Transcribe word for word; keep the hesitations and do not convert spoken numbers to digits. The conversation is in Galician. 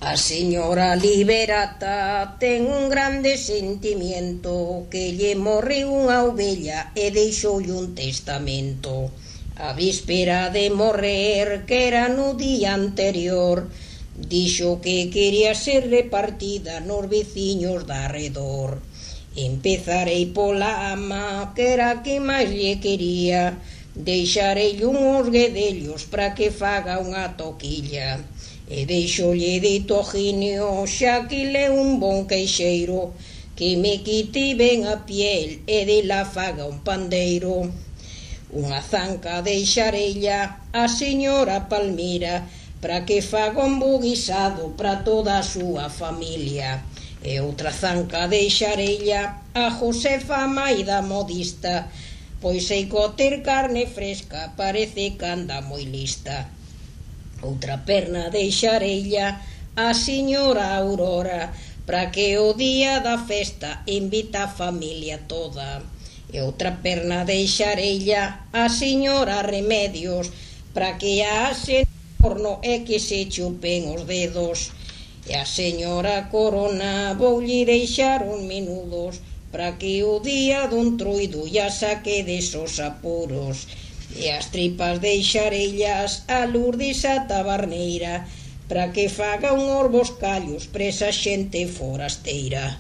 A señora Liberata ten un grande sentimiento, que lle morreu unha ovella e deixoulle un testamento. A víspera de morrer, que era no día anterior, dixo que quería ser repartida nos veciños da arredor. Empezarei pola ama, que era a que máis lle quería, deixarei uns guedellos para que faga unha toquilla. E deixolle de toginio, xa que le un bon queixeiro, que me quite ben a piel e de la faga un pandeiro. Unha zanca deixarella a señora Palmira, para que faga un bo guisado para toda a súa familia. E outra zanca deixarella a Josefa Maida modista, pois sei coter carne fresca, parece que anda moi lista. Outra perna deixarella a señora Aurora, para que o día da festa invita a familia toda. E outra perna deixarella a señora Remedios, para que a ase no horno e que se chupen os dedos. E a señora Corona voulle deixar uns menudos, para que o día dun truido ya saque desos apuros. E as tripas deixarellas a Lourdes a tabarneira, para que faga unhos boscallos presa xente forasteira.